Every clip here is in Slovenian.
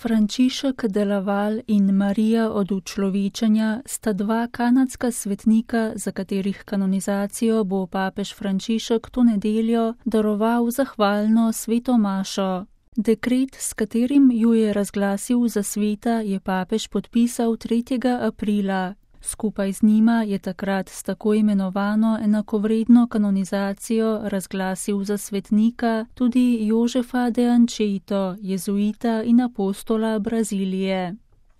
Frančišek de Laval in Marija od Učlovečenja sta dva kanadska svetnika, za katerih kanonizacijo bo papež Frančišek to nedeljo daroval zahvalno sveto mašo. Dekret, s katerim ju je razglasil za sveta, je papež podpisal 3. aprila. Skupaj z njima je takrat s tako imenovano enakovredno kanonizacijo razglasil za svetnika tudi Jožefa de Anchieta, jezuita in apostola Brazilije.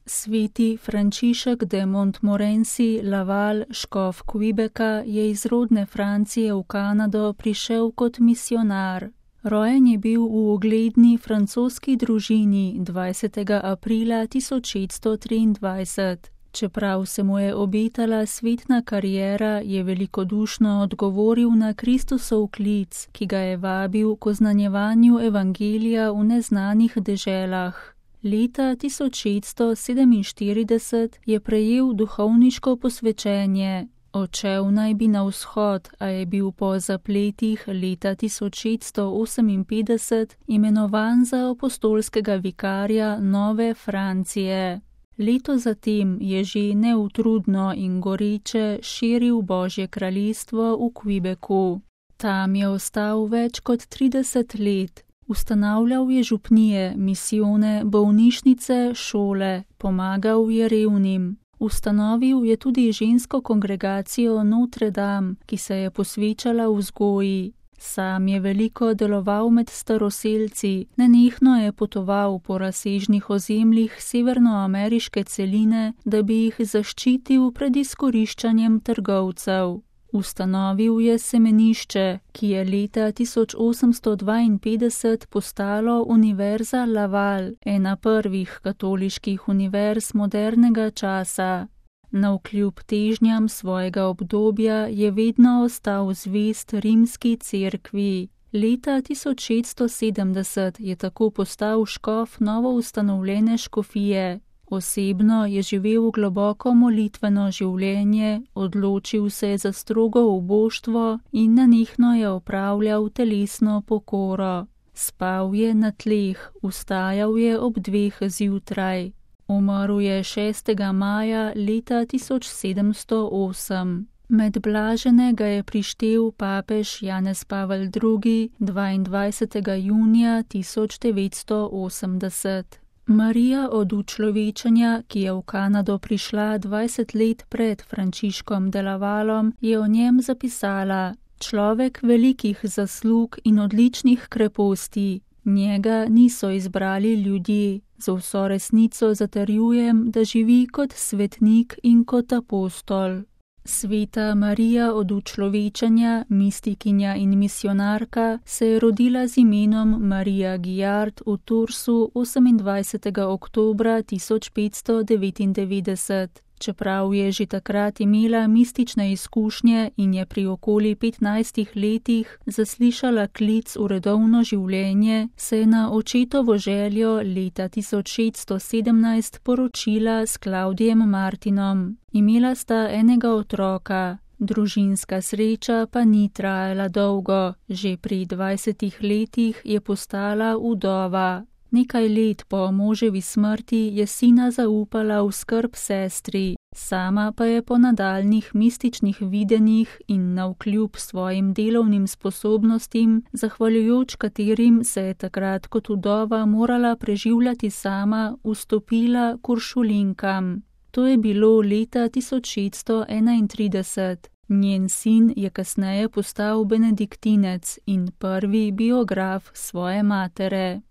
Sveti Frančišek de Montmorency Laval, škof Quebeca, je iz rodne Francije v Kanado prišel kot misionar. Rojen je bil v ugledni francoski družini 20. aprila 1623. Čeprav se mu je obetala svetna kariera, je velikodušno odgovoril na Kristusov klic, ki ga je vabil k oznanjevanju evangelija v neznanih deželah. Leta 1647 je prejel duhovniško posvečenje. Odšel naj bi na vzhod, a je bil po zapletih leta 1658 imenovan za apostolskega vikarja Nove Francije. Leto zatem je že neutrudno in goreče širil Božje kraljestvo v Quebecu. Tam je ostal več kot 30 let. Ustanavljal je župnije, misijone, bolnišnice, šole, pomagal je revnim. Ustanovil je tudi žensko kongregacijo Notre Dame, ki se je posvečala vzgoji. Sam je veliko deloval med staroselci, nenehno je potoval po razsežnih ozemljih severnoameriške celine, da bi jih zaščitil pred izkoriščanjem trgovcev. Ustanovil je semenišče, ki je leta 1852 postalo Univerza Laval, ena prvih katoliških univerz modernega časa. Navkljub težnjam svojega obdobja je vedno ostal zvest rimski cerkvi. Leta 1670 je tako postal škof novoustanovljene škofije. Osebno je živel globoko molitveno življenje, odločil se za strogo uboštvo in nenehno je opravljal telesno pokoro. Spal je na tleh, vstajal je ob 2 zjutraj. Umrl je 6. maja leta 1708. Med blažene ga je prištel papež Janez Pavel II. 22. junija 1980. Marija od Učlovečenja, ki je v Kanado prišla 20 let pred Frančiškom de Lavalom, je o njem zapisala: človek velikih zaslug in odličnih kreposti. Njega niso izbrali ljudje. Z vso resnico zatrjujem, da živi kot svetnik in kot apostol. Sveta Marija od Učlovečenja, mistikinja in misionarka, se je rodila z imenom Marija Guillard v Tursu 28. oktobra 1599. Čeprav je že takrat imela mistične izkušnje in je pri okoli 15 letih zaslišala klic v redovno življenje, se je na očetovo željo leta 1617 poročila s Klaudijem Martinom. Imela sta enega otroka. Družinska sreča pa ni trajala dolgo. Že pri 20 letih je postala vdova. Nekaj let po moževi smrti je sina zaupala v skrb sestri, sama pa je po nadaljnjih mističnih videnjih in navkljub svojim delovnim sposobnostim, zahvaljujoč katerim se je takrat kot vdova morala preživljati sama, vstopila k Uršulinkam. To je bilo leta 1631. Njen sin je kasneje postal benediktinec in prvi biograf svoje matere.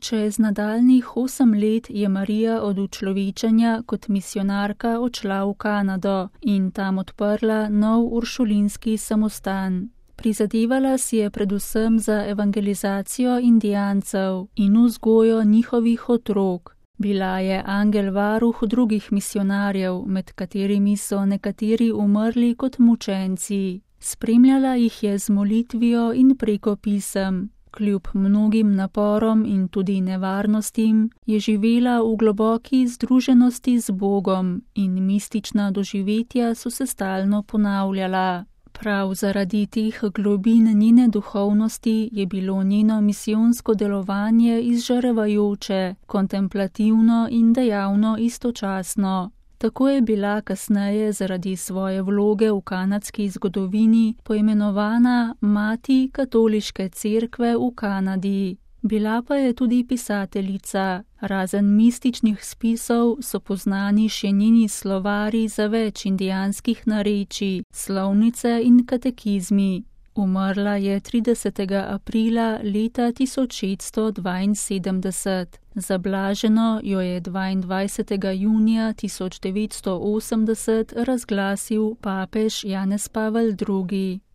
Čez nadaljnjih 8 let je Marija od Učlovečenja kot misionarka odšla v Kanado in tam odprla nov uršulinski samostan. Prizadevala si je predvsem za evangelizacijo indijancev in vzgojo njihovih otrok. Bila je angel varuh drugih misionarjev, med katerimi so nekateri umrli kot mučenci. Spremljala jih je z molitvijo in preko pisem. Kljub mnogim naporom in tudi nevarnostim je živela v globoki združenosti z Bogom in mistična doživetja so se stalno ponavljala. Prav zaradi teh globin njene duhovnosti je bilo njeno misijonsko delovanje izžarevajoče, kontemplativno in dejavno istočasno. Tako je bila kasneje zaradi svoje vloge v kanadski zgodovini poimenovana Mati katoliške cerkve v Kanadi. Bila pa je tudi pisateljica. Razen mističnih spisov so poznani še njeni slovari za več indijanskih narečij, slovnice in katekizmi. Umrla je 30. aprila leta 1672. Za blaženo jo je 22. junija 1980 razglasil papež Janez Pavel II.